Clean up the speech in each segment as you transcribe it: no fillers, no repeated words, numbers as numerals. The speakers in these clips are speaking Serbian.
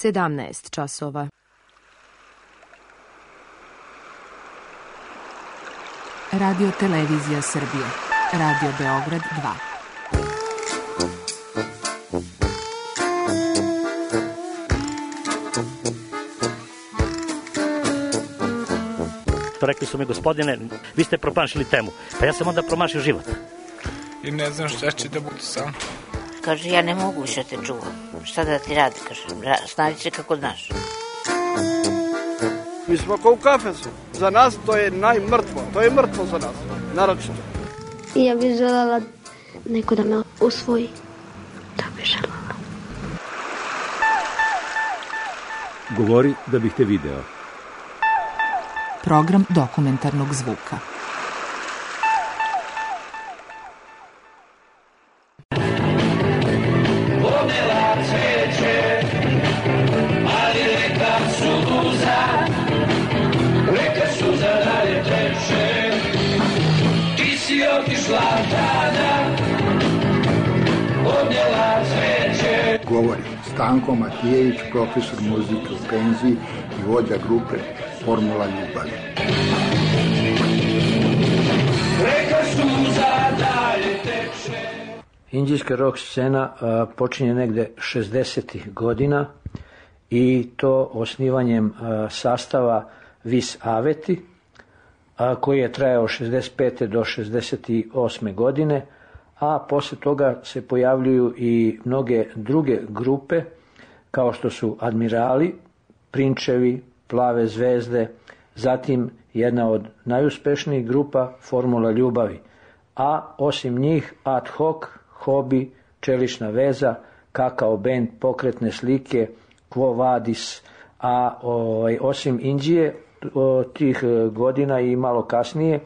17 časova. Radio Televizija Srbije. Radio Beograd 2. Rekli su mi, gospodine, vi ste promašili temu. Pa ja sam onda promašio život. I ne znam šta će da bude sam. Kaže, ja ne mogu više te čuvam. Šta da ti radi, kaže, snađi se kako znaš. Mi smo kao u kafesu. Za nas to je najmrtvo. To je mrtvo za nas, naročito. Ja bih želela neko da me usvoji. Da bih želela. Govori da bih te video. Program dokumentarnog zvuka. Govori Stanko Matijević, profesor muzike u penziji i vođa grupe Formula ljubavi. Inđijska rock scena počinje negde 60. godina i to osnivanjem sastava Vis Aveti, koji je trajao 65. do 68. godine, a posle toga se pojavljuju i mnoge druge grupe, kao što su Admirali, Prinčevi, Plave zvezde, zatim jedna od najuspešnijih grupa Formula ljubavi, a osim njih Ad hoc, Hobi, Čelična veza, Kakao band, Pokretne slike, Quo vadis, a osim Inđije tih godina i malo kasnije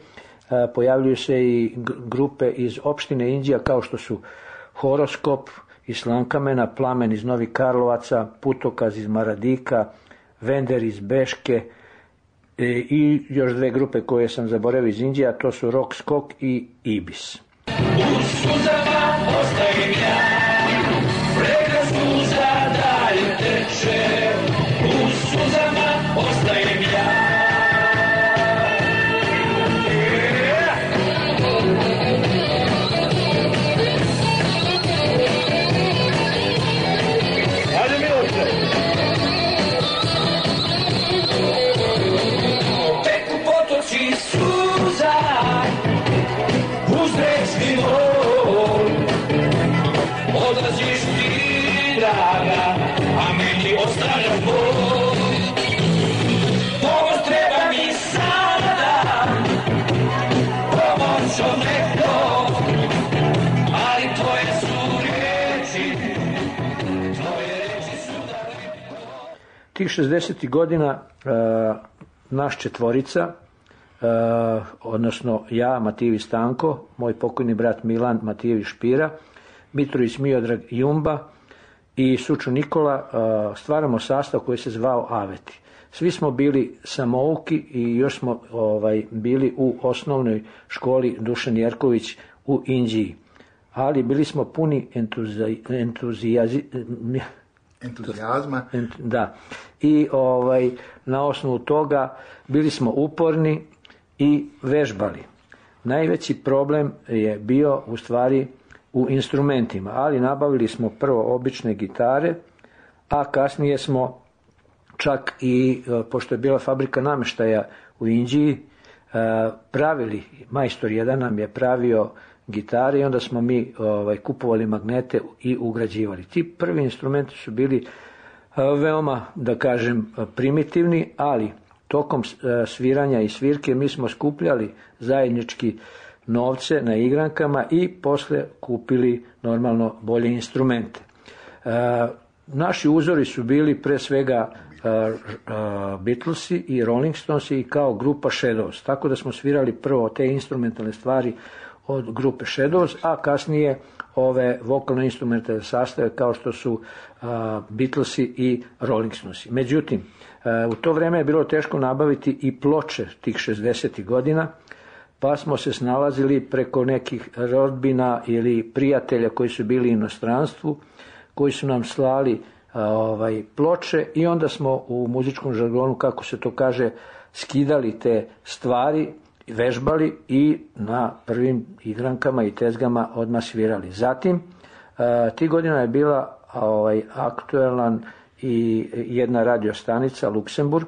pojavljuju se i grupe iz opštine Inđija kao što su Horoskop iz Slankamena, Plamen iz Novih Karlovaca, Putokaz iz Maradika, Vender iz Beške i još dve grupe koje sam zaboravio iz Inđija, to su Rock Skok i Ibis. U suzama ostavim ja, reka suza dalje teče, u suzama ostavim ja. Teku potoci suza, uz rečni mor, odlaziš ti, draga, a meni ostavljaš bol. Pomoć treba mi sada, pomoć od neko, ali tvoje su reči, tvoje reči su daleko. Tih 60. godina naš četvorica, odnosno ja, Matijević Stanko, moj pokojni brat Milan Matijević Špira, Mitrović Miodrag Jumba i Sučo Nikola, stvaramo sastav koji se zvao Aveti. Svi smo bili samouki i još smo bili u osnovnoj školi Dušan Jerković u Inđiji, ali bili smo puni entuzijazma. Da. I na osnovu toga bili smo uporni i vežbali. Najveći problem je bio u stvari u instrumentima, ali nabavili smo prvo obične gitare, a kasnije smo čak i, pošto je bila fabrika nameštaja u Inđiji, pravili, majstor jedan nam je pravio gitare i onda smo mi kupovali magnete i ugrađivali. Ti prvi instrumenti su bili veoma, da kažem, primitivni, ali tokom sviranja i svirke mi smo skupljali zajednički novce na igrankama i posle kupili normalno bolje instrumente. Naši uzori su bili pre svega Beatlesi i Rolling Stonesi i kao grupa Shadows, tako da smo svirali prvo te instrumentalne stvari od grupe Shadows, a kasnije ove vokalno-instrumentalne sastave kao što su Beatlesi i Rolling Stonesi. Međutim, u to vreme je bilo teško nabaviti i ploče tih 60. godina, pa smo se snalazili preko nekih rodbina ili prijatelja koji su bili u inostranstvu, koji su nam slali ploče i onda smo u muzičkom žargonu, kako se to kaže, skidali te stvari, vežbali i na prvim igrankama i tezgama odmah svirali. Zatim, tih godina je bila aktuelan i jedna radiostanica Luksemburg,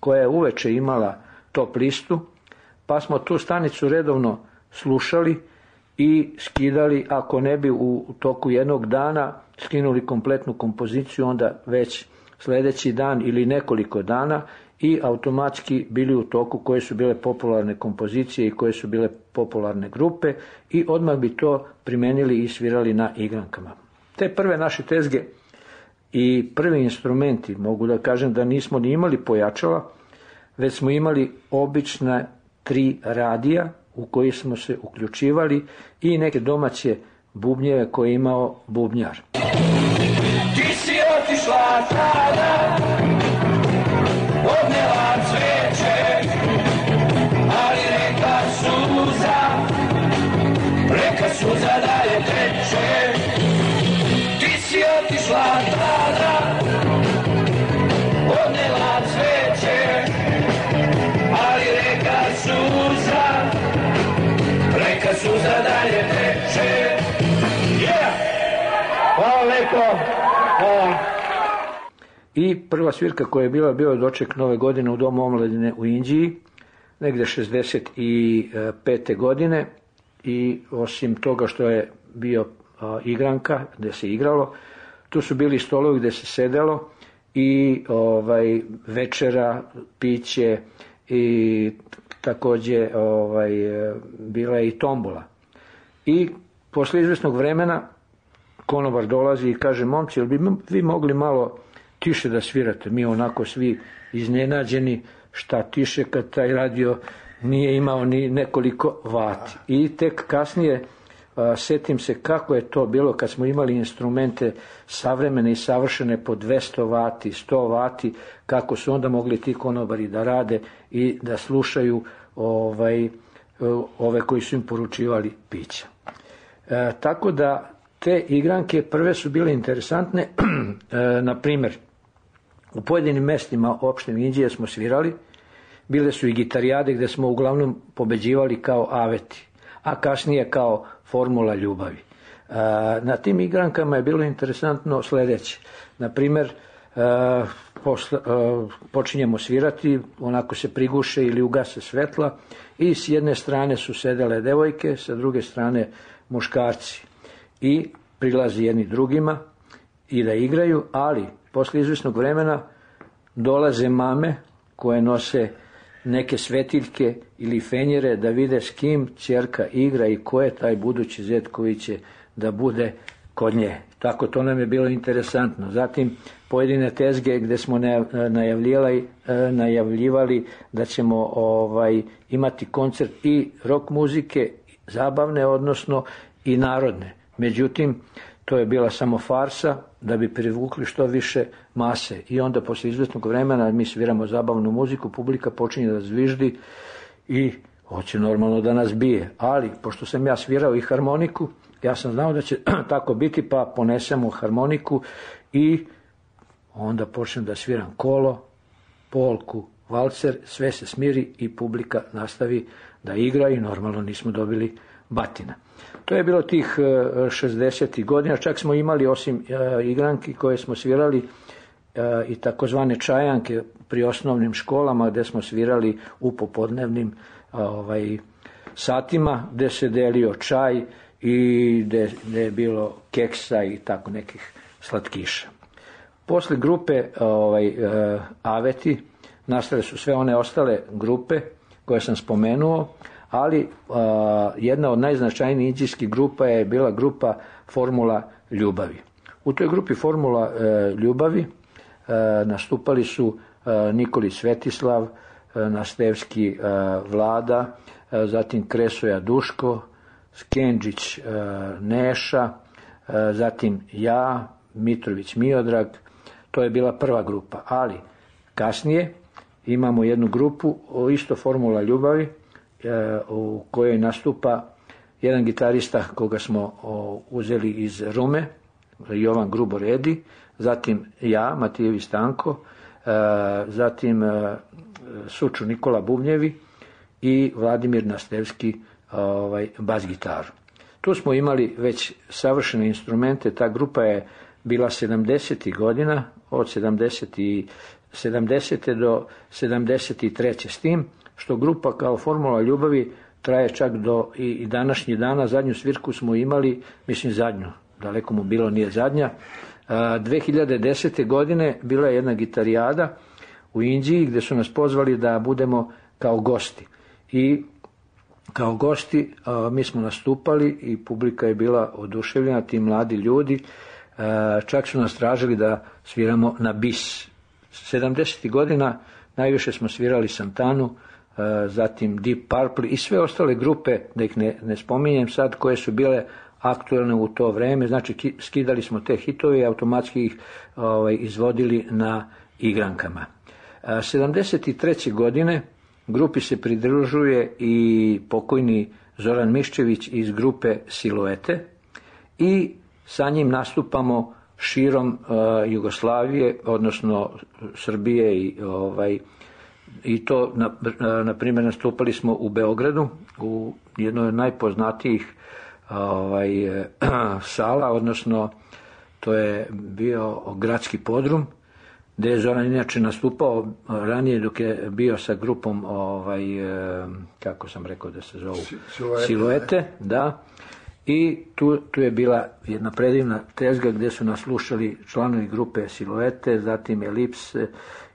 koja je uveče imala top listu, pa smo tu stanicu redovno slušali i skidali, ako ne bi u toku jednog dana skinuli kompletnu kompoziciju, onda već sljedeći dan ili nekoliko dana i automatski bili u toku koje su bile popularne kompozicije i koje su bile popularne grupe i odmah bi to primenili i svirali na igrankama. Te prve naše tezge i prvi instrumenti, mogu da kažem da nismo ni imali pojačala, već smo imali obična 3 radija u koji smo se uključivali i neke domaće bubnjeve koje je imao bubnjar. Ti si otišla tada, odnela cveće, ali reka suza dalje teče. Ti si otišla tada, odnela cveće, ali reka suza dalje teče. Hvala lepo. I prva svirka koja je bila, bio je doček Nove godine u Domu omladine u Inđiji, negde 65. godine i osim toga što je bio igranka gde se igralo, tu su bili stolovi gde se sedelo i večera, piće i takođe bila je i tombola. I posle izvesnog vremena konobar dolazi i kaže: momci, jel bi vi mogli malo tiše da svirate? Mi onako svi iznenađeni, šta tiše kad taj radio nije imao ni nekoliko vati. I tek kasnije setim se kako je to bilo kad smo imali instrumente savremene i savršene po 200 vati, 100 vati, kako su onda mogli ti konobari da rade i da slušaju ove koji su im poručivali pića. Tako da te igranke prve su bile interesantne. Na primjer, u pojedinim mestima opštine Inđije smo svirali, bile su i gitarijade gde smo uglavnom pobeđivali kao aveti, a kasnije kao formula ljubavi. Na tim igrankama je bilo interesantno sledeće. Na primjer, počinjemo svirati, onako se priguše ili ugase svetla i s jedne strane su sedele devojke, sa druge strane muškarci. I prilazi jedni drugima i da igraju, ali posle izvesnog vremena dolaze mame koje nose neke svetiljke ili fenjere da vide s kim ćerka igra i ko je taj budući zet koji će da bude kod nje. Tako to nam je bilo interesantno. Zatim pojedine tezge gde smo najavljivali da ćemo imati koncert i rock muzike, zabavne odnosno i narodne. Međutim, to je bila samo farsa da bi privukli što više mase. I onda posle izvesnog vremena mi sviramo zabavnu muziku, publika počinje da zviždi i hoće normalno da nas bije. Ali, pošto sam ja svirao i harmoniku, ja sam znao da će tako biti, pa ponesemo harmoniku i onda počnem da sviram kolo, polku, valcer, sve se smiri i publika nastavi da igra i normalno nismo dobili batina. To je bilo tih 60. godina, čak smo imali osim igranki koje smo svirali i takozvane čajanke pri osnovnim školama gde smo svirali u popodnevnim satima gde se delio čaj i gde je bilo keksa i tako nekih slatkiša. Posle grupe Aveti nastale su sve one ostale grupe koje sam spomenuo, ali jedna od najznačajnijih indijskih grupa je bila grupa Formula ljubavi. U toj grupi Formula ljubavi nastupali su Nikolić Svetislav, Nastevski Vlada, zatim Kresoja Duško, Skenđić Neša, zatim ja, Mitrović Miodrag. To je bila prva grupa, ali kasnije imamo jednu grupu, isto Formula ljubavi, u kojoj nastupa jedan gitarista koga smo uzeli iz Rume, Jovan Gruboredi, zatim ja, Matijević Stanko, zatim Suču Nikola Bubnjevi i Vladimir Nastevski bas gitaru. Tu smo imali već savršene instrumente, ta grupa je bila 70. godina, od 70. do 73. s tim, što grupa kao Formula ljubavi traje čak do i današnjih dana. Zadnju svirku smo imali, mislim zadnju, daleko mu bilo nije zadnja, 2010. godine bila je jedna gitarijada u Inđiji gdje su nas pozvali da budemo kao gosti. I kao gosti mi smo nastupali i publika je bila oduševljena, ti mladi ljudi, čak su nas tražili da sviramo na bis. 70. godina najviše smo svirali Santanu, zatim Deep Purple i sve ostale grupe, da ih ne spominjem sad, koje su bile aktualne u to vreme. Znači skidali smo te hitove i automatski ih izvodili na igrankama. 73. godine grupi se pridružuje i pokojni Zoran Miščević iz grupe Siluete i sa njim nastupamo širom Jugoslavije, odnosno Srbije i to, na primjer, nastupali smo u Beogradu, u jednoj od najpoznatijih sala, odnosno to je bio gradski podrum, gdje je Zoran inače nastupao ranije dok je bio sa grupom, kako sam rekao da se zovu, Siluete, da. I tu je bila jedna predivna tezga gdje su nas slušali članovi grupe Siluete, zatim Elips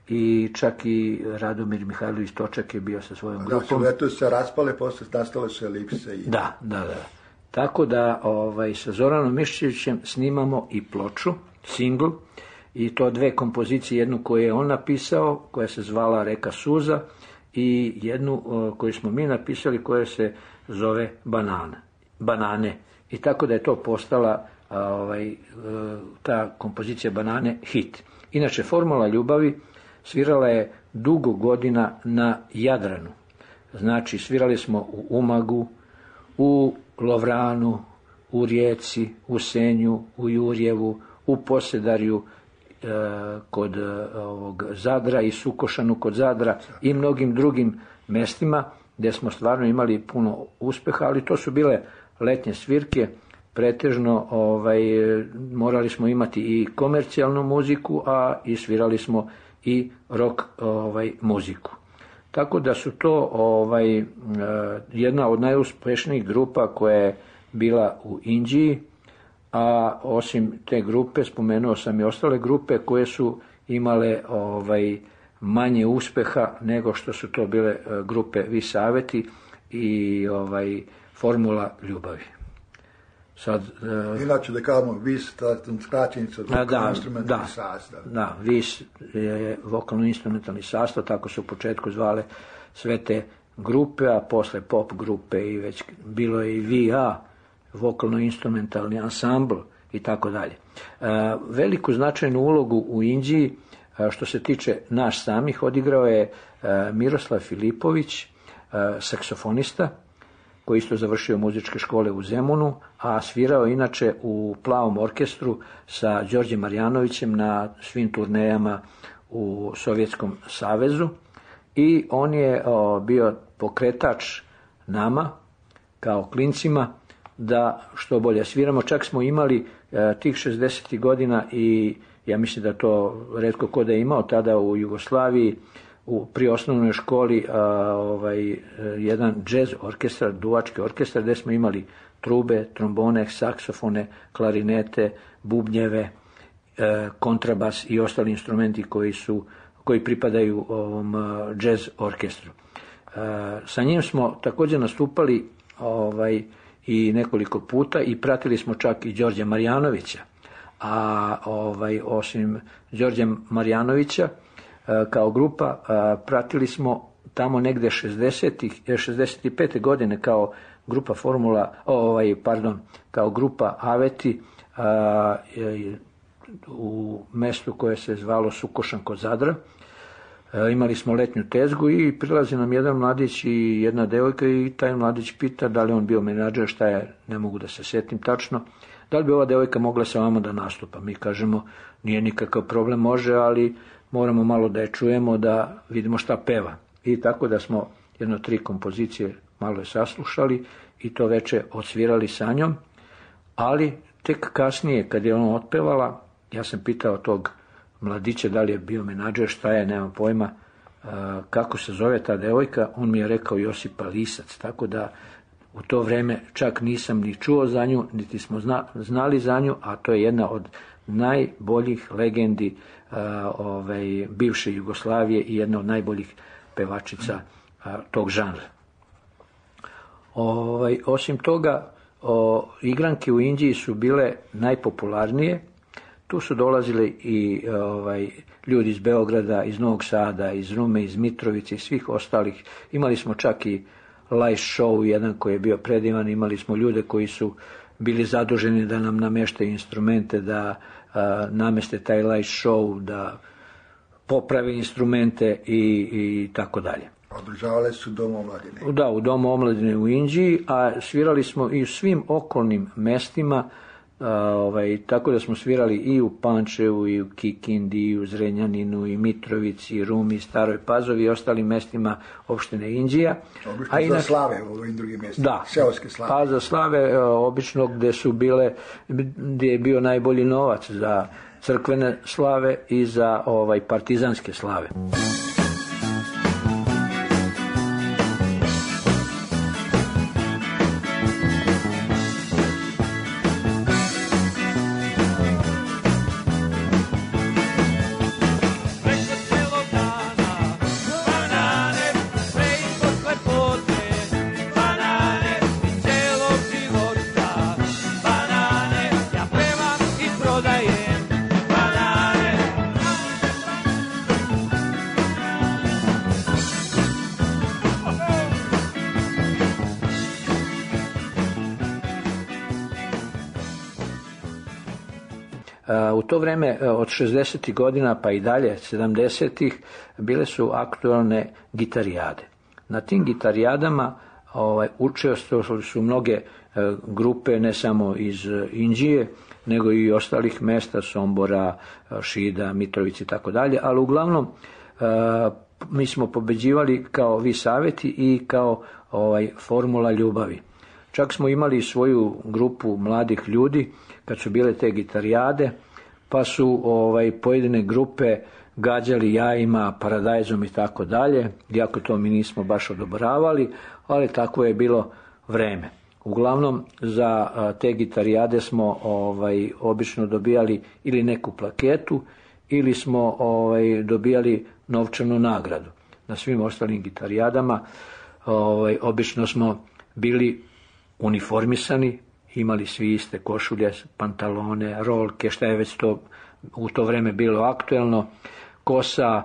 i čak i Radomir Mihajlović Točak je bio sa svojom grupom. Siluete su se raspale, posle nastale su Elipse. Da. Tako da sa Zoranom Miščevićem snimamo i ploču, singl, i to dve kompozicije, jednu koju je on napisao, koja se zvala Reka suza, i jednu koju smo mi napisali, koja se zove Banane. I tako da je to postala ta kompozicija Banane hit. Inače, Formula ljubavi svirala je dugo godina na Jadranu. Znači, svirali smo u Umagu, u Lovranu, u Rijeci, u Senju, u Jurjevu, u Posedarju kod Zadra i Sukošanu kod Zadra i mnogim drugim mestima gdje smo stvarno imali puno uspeha, ali to su bile letnje svirke, pretežno morali smo imati i komercijalnu muziku, a i svirali smo i rock muziku. Tako da su to jedna od najuspešnijih grupa koja je bila u Inđiji, a osim te grupe spomenuo sam i ostale grupe koje su imale manje uspeha nego što su to bile grupe Vis Aveti i Formula ljubavi. Sad, inače da kažemo Vis, skraćenica vokalno-instrumentalni sastav. Da, Vis je vokalno-instrumentalni sastav, tako su u početku zvale sve te grupe, a posle pop grupe i već bilo je i VA, vokalno-instrumentalni ansambl i tako dalje. Veliku značajnu ulogu u Inđiji, što se tiče nas samih, odigrao je Miroslav Filipović, saksofonista, koji isto završio muzičke škole u Zemunu, a svirao inače u Plavom orkestru sa Đorđem Marjanovićem na svim turnejama u Sovjetskom savezu, i on je bio pokretač nama kao klincima da što bolje sviramo. Čak smo imali tih 60. godina, i ja mislim da to retko ko da je imao tada u Jugoslaviji, pri osnovnoj školi jedan džez orkestar, duvački orkestar, gdje smo imali trube, trombone, saksofone, klarinete, bubnjeve, kontrabas i ostali instrumenti koji pripadaju ovom džez orkestru. Sa njim smo također nastupali i nekoliko puta i pratili smo čak i Đorđa Marjanovića, a osim Đorđa Marjanovića kao grupa pratili smo tamo negde 65. godine kao grupa kao grupa Aveti u mestu koje se zvalo Sukošan kod Zadra. Imali smo letnju tezgu i prilazi nam jedan mladić i jedna devojka, i taj mladić pita da li on bio menadžer, šta je, ne mogu da se sjetim tačno, da li bi ova devojka mogla sa vama da nastupa? Mi kažemo, nije nikakav problem, može, ali moramo malo da je čujemo, da vidimo šta peva. I tako da smo 3 kompozicije malo je saslušali i to veče odsvirali sa njom, ali tek kasnije kad je ona otpevala, ja sam pitao tog mladića da li je bio menadžer, šta je, nemam pojma, kako se zove ta devojka, on mi je rekao Josipa Lisac, tako da u to vreme čak nisam ni čuo za nju, niti smo znali za nju, a to je jedna od najboljih legendi bivše Jugoslavije i jedna od najboljih pevačica tog žanra. Osim toga, igranke u Inđiji su bile najpopularnije. Tu su dolazili i ljudi iz Beograda, iz Novog Sada, iz Rume, iz Mitrovice i svih ostalih. Imali smo čak i live show jedan koji je bio predivan, imali smo ljude koji su bili zaduženi da nam nameštaju instrumente, da nameste taj live show, da poprave instrumente i tako dalje. Održavali su Dom omladine. Da, u Domu omladine u Inđiji, a svirali smo i u svim okolnim mestima, tako da smo svirali i u Pančevu, i u Kikindi, i u Zrenjaninu, i Mitrovici, i Rumi, i Staroj Pazovi i ostalim mestima opštine Inđija. Obično za slave u ovim drugim mestima, da, seoske slave. Pa za slave obično gde je bio najbolji novac za crkvene slave i za partizanske slave. U to vreme od 60. godina pa i dalje 70. bile su aktualne gitarijade. Na tim gitarijadama učestvovali su mnoge grupe, ne samo iz Inđije, nego i ostalih mesta, Sombora, Šida, Mitrovici i tako dalje, ali uglavnom mi smo pobeđivali kao Vi saveti i kao Formula ljubavi. Čak smo imali svoju grupu mladih ljudi kad su bile te gitarijade, pa su pojedine grupe gađali jajima, paradajzom i tako dalje, iako to mi nismo baš odobravali, ali tako je bilo vreme. Uglavnom za te gitarijade smo obično dobijali ili neku plaketu ili smo dobijali novčanu nagradu. Na svim ostalim gitarijadama obično smo bili uniformisani, imali svi iste košulje, pantalone, rolke, šta je već to u to vreme bilo aktuelno, kosa,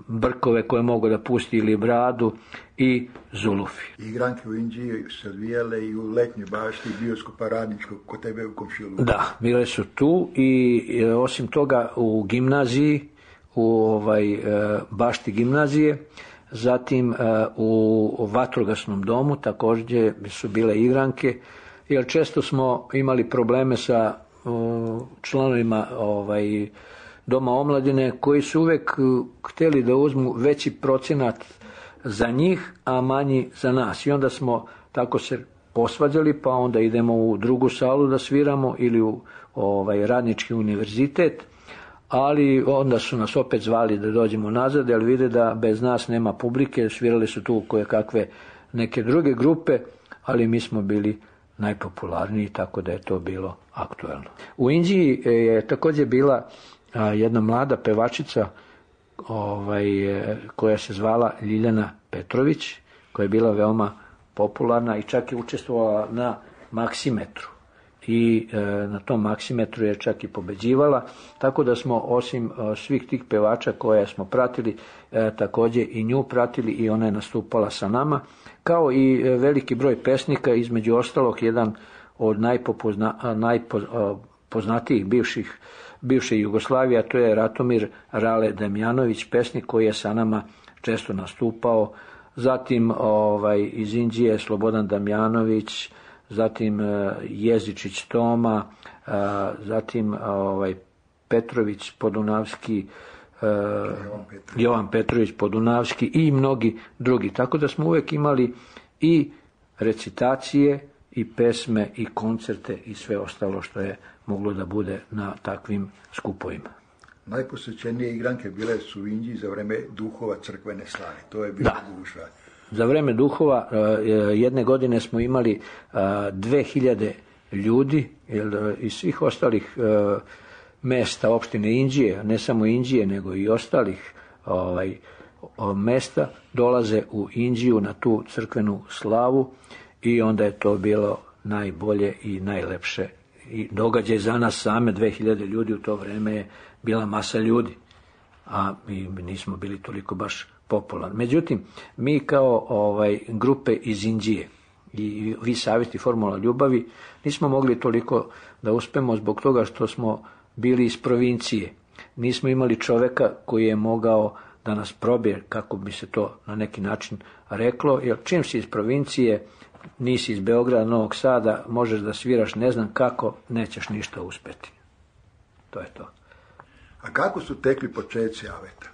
brkove koje mogu da pusti ili bradu i zulufi. Igranke u Inđiji se odvijale i u Letnjoj bašti bioskopa Radničkog kod tebe u komšiluku. Da, bile su tu i osim toga u gimnaziji, u bašti gimnazije, zatim u vatrogasnom domu također su bile igranke, jer često smo imali probleme sa članovima Doma omladine koji su uvek hteli da uzmu veći procenat za njih, a manji za nas. I onda smo tako se posvađali, pa onda idemo u drugu salu da sviramo ili u Radnički univerzitet, ali onda su nas opet zvali da dođemo nazad, jer vide da bez nas nema publike, svirali su tu koje kakve neke druge grupe, ali mi smo bili najpopularniji, tako da je to bilo aktuelno. U Inđiji je također bila jedna mlada pevačica koja se zvala Ljiljana Petrović, koja je bila veoma popularna i čak je učestvovala na Maksimetru. I na tom Maksimetru je čak i pobeđivala, tako da smo osim svih tih pevača koje smo pratili, također i nju pratili i ona je nastupala sa nama, kao i veliki broj pesnika, između ostalog jedan od najpoznatijih bivše Jugoslavije, a to je Ratomir Rale Damjanović, pesnik koji je sa nama često nastupao, zatim iz Inđije Slobodan Damjanović, zatim Jezičić Toma, zatim Petrović Podunavski, Jovan Petrović Podunavski i mnogi drugi. Tako da smo uvijek imali i recitacije i pesme i koncerte i sve ostalo što je moglo da bude na takvim skupovima. Najposjećenije igranke bile su u Inđiji za vreme duhova crkvene slave. To je bilo gužva. Za vreme duhova jedne godine smo imali 2000 ljudi iz svih ostalih mesta opštine Inđije, ne samo Inđije nego i ostalih mesta dolaze u Inđiju na tu crkvenu slavu i onda je to bilo najbolje i najlepše i događaj za nas same. 2000 ljudi u to vreme je bila masa ljudi, a mi nismo bili toliko baš popularni. Međutim, mi kao grupe iz Inđije i Vis Aveti Formula ljubavi nismo mogli toliko da uspemo zbog toga što smo bili iz provincije. Nismo imali čoveka koji je mogao da nas probije, kako bi se to na neki način reklo, jer čim si iz provincije, nisi iz Beograda, Novog Sada, možeš da sviraš ne znam kako, nećeš ništa uspeti. To je to. A kako su tekli počeci Aveta?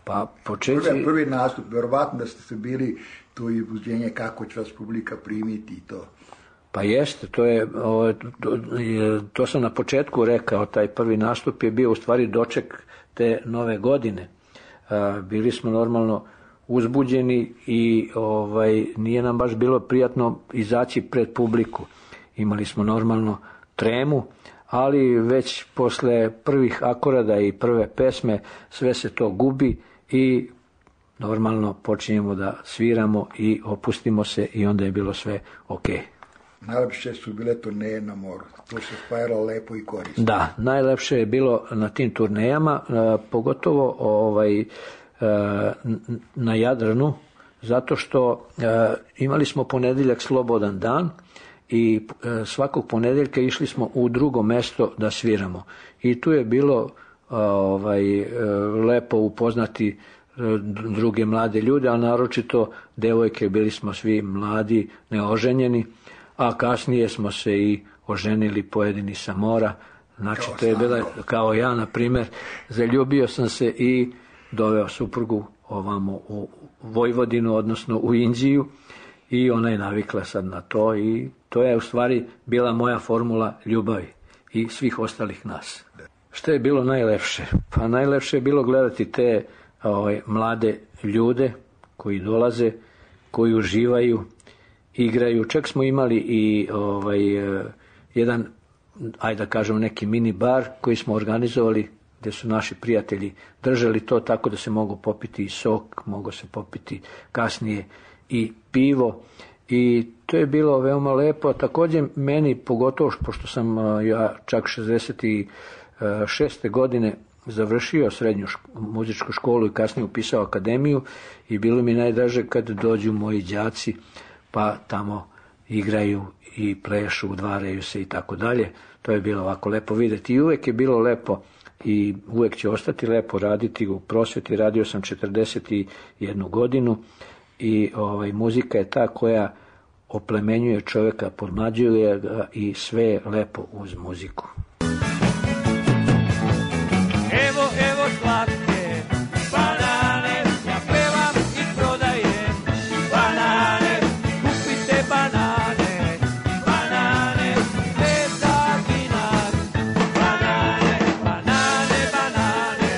Pa počeci... Prvi nastup, verovatno da ste bili tu i uzbuđenje kako će vas publika primiti i to. Pa jeste, to sam na početku rekao, taj prvi nastup je bio u stvari doček te nove godine. Bili smo normalno uzbuđeni i nije nam baš bilo prijatno izaći pred publiku. Imali smo normalno tremu, ali već posle prvih akorada i prve pesme sve se to gubi i normalno počinjemo da sviramo i opustimo se i onda je bilo sve okej. Najlepše su bile turneje na moru. To se spajalo lepo i korisno. Da, najlepše je bilo na tim turnejama, pogotovo na Jadranu, zato što imali smo ponedjeljak slobodan dan i svakog ponedjeljka išli smo u drugo mesto da sviramo. I tu je bilo lepo upoznati druge mlade ljude, a naročito devojke, bili smo svi mladi, neoženjeni, a kasnije smo se i oženili pojedini sa mora. Znači, to je bila, kao ja, na primjer, zaljubio sam se i doveo suprugu ovamo u Vojvodinu, odnosno u Inđiju, i ona je navikla sad na to i to je u stvari bila moja formula ljubavi i svih ostalih nas. Što je bilo najlepše? Pa najlepše je bilo gledati te mlade ljude koji dolaze, koji uživaju, igraju. Čak smo imali i jedan, ajde da kažem, neki mini bar koji smo organizovali, gdje su naši prijatelji držali to tako da se mogu popiti i sok, mogu se popiti kasnije i pivo, i to je bilo veoma lepo. Također meni, pogotovo pošto sam ja čak 66. godine završio srednju muzičku školu i kasnije upisao akademiju, i bilo mi najdraže kad dođu moji đaci pa tamo igraju i plešu, udvaraju se i tako dalje. To je bilo ovako lepo vidjeti i uvijek je bilo lepo i uvijek će ostati lepo raditi u prosvjeti. Radio sam 41 godinu i muzika je ta koja oplemenjuje čovjeka, podmlađuje ga i sve je lepo uz muziku. Evo slatke banane, ja pevam i prodajem banane, kupite banane, banane, 5 za dinar, banane, banane, banane,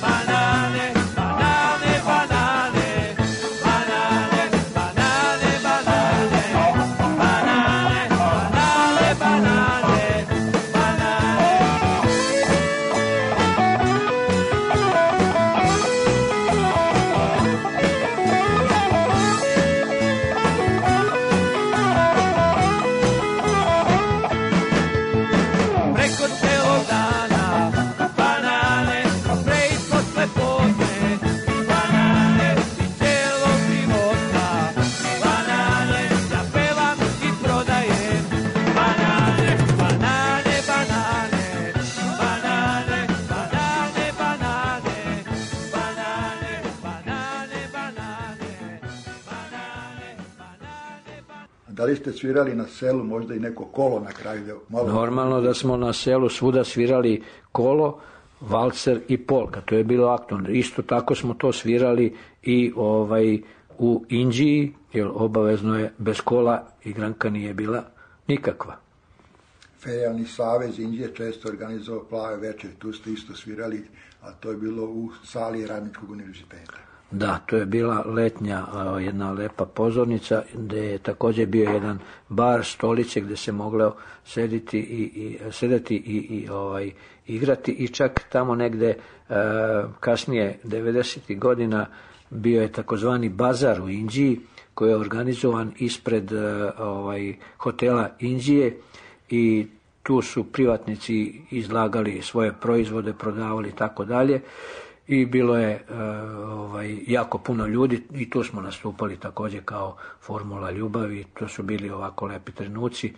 banane, banane, banane, banane, banane, banane, banane, banane, banane, banane, Da li ste svirali na selu možda i neko kolo na kraju? Normalno da smo na selu svuda svirali kolo, valcer i polka, to je bilo aktualno. Isto tako smo to svirali i u Inđiji, jer obavezno je bez kola igranka nije bila nikakva. Ferijalni savez Inđije često organizovao plave večer, tu ste isto svirali, a to je bilo u sali Radničkog univerziteta. Da, to je bila letnja jedna lepa pozornica gdje je također bio jedan bar, stolice gdje se moglo sedeti i igrati i čak tamo negdje kasnije 90. godina bio je takozvani bazar u Inđiji koji je organizovan ispred hotela Inđije i tu su privatnici izlagali svoje proizvode, prodavali i tako dalje. I bilo je jako puno ljudi i tu smo nastupali također kao Formula ljubavi, to su bili ovako lepi trenuci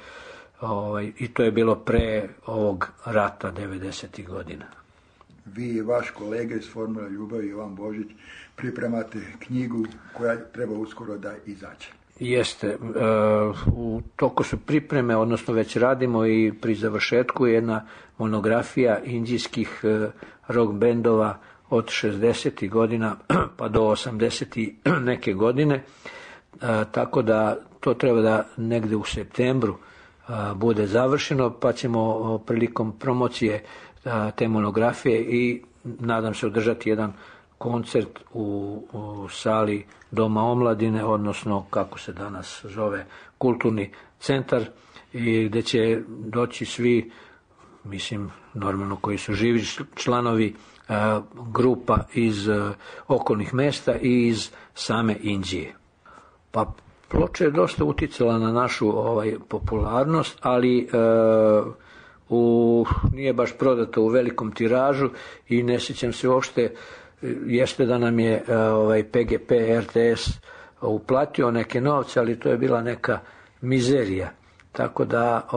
i to je bilo pre ovog rata 90. godina. Vi i vaš kolega iz Formula ljubavi, Ivan Božić, pripremate knjigu koja treba uskoro da izađe. Jeste, u toku su pripreme, odnosno već radimo i pri završetku jedna monografija indijskih rock bendova od 60. godina pa do 80. neke godine, tako da to treba da negde u septembru bude završeno, pa ćemo prilikom promocije te monografije i nadam se održati jedan koncert u sali Doma omladine, odnosno kako se danas zove kulturni centar, i gdje će doći svi, mislim normalno koji su živi članovi grupa iz okolnih mesta i iz same Inđije. Pa ploča je dosta uticala na našu popularnost, ali nije baš prodata u velikom tiražu i ne sjećam se uopšte, jeste da nam je PGP RTS uplatio neke novce, ali to je bila neka mizerija. Tako da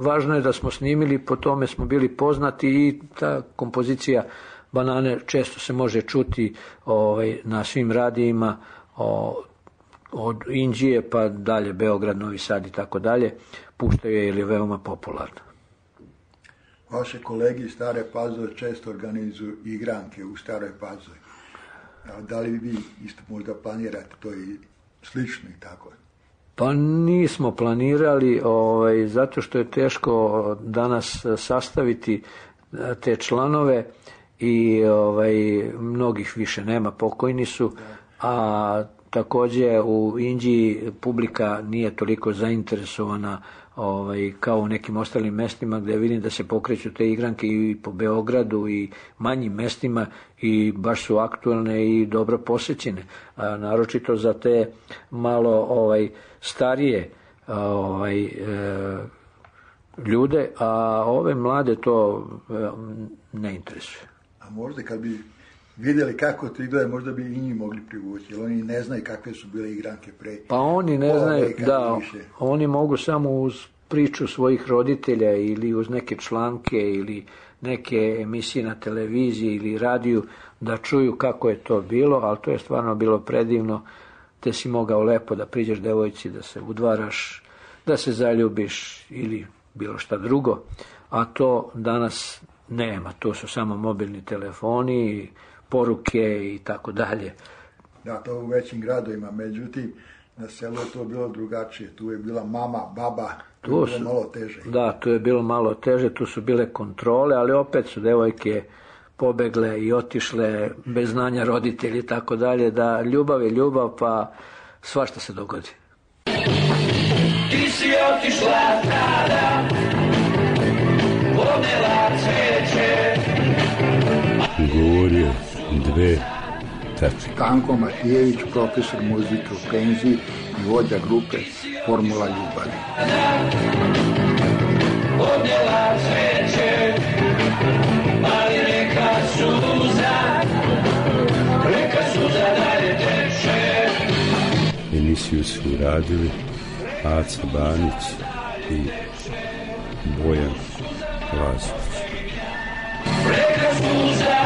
važno je da smo snimili, po tome smo bili poznati i ta kompozicija Banane često se može čuti na svim radijima od Inđije pa dalje Beograd, Novi Sad i tako dalje, puštaju je ili je veoma popularna. Vaše kolege iz Stare Pazove često organizuju igranke u Staroj Pazovi. Da li vi isto možda planirate to i slično i tako? Pa nismo planirali, zato što je teško danas sastaviti te članove i mnogih više nema, pokojni su, a također u Inđiji publika nije toliko zainteresovana kao u nekim ostalim mestima gdje vidim da se pokreću te igranke i po Beogradu i manjim mestima i baš su aktualne i dobro posećene, naročito za te malo starije ljude, a ove mlade to ne interesuje. A možda kad bi vidjeli kako to ide, možda bi i njih mogli privući, jer oni ne znaju kakve su bile igranke pre. Pa oni ne znaju, da, oni mogu samo uz priču svojih roditelja ili uz neke članke ili neke emisije na televiziji ili radiju da čuju kako je to bilo, ali to je stvarno bilo predivno, te si mogao lepo da priđeš devojci, da se udvaraš, da se zaljubiš ili bilo šta drugo, a to danas nema, to su samo mobilni telefoni, poruke i tako dalje. Da, to u većim gradovima, međutim, na selu je to bilo drugačije, tu je bila mama, baba, tu je bilo malo teže. Da, tu je bilo malo teže, tu su bile kontrole, ali opet su devojke pobegle i otišle bez znanja roditelji i tako dalje, da ljubav je ljubav, pa svašta se dogodi. Ti si otišla tada, odnela cveće. Govorio 2 tačke. Stanko Matijević, profesor muzike u penziji i vođa grupe Formula ljubavi. Odnela cveće, ali reka suza dalje teče. Emisiju su radili Aca Banić i Bojan Lazović. Reka suza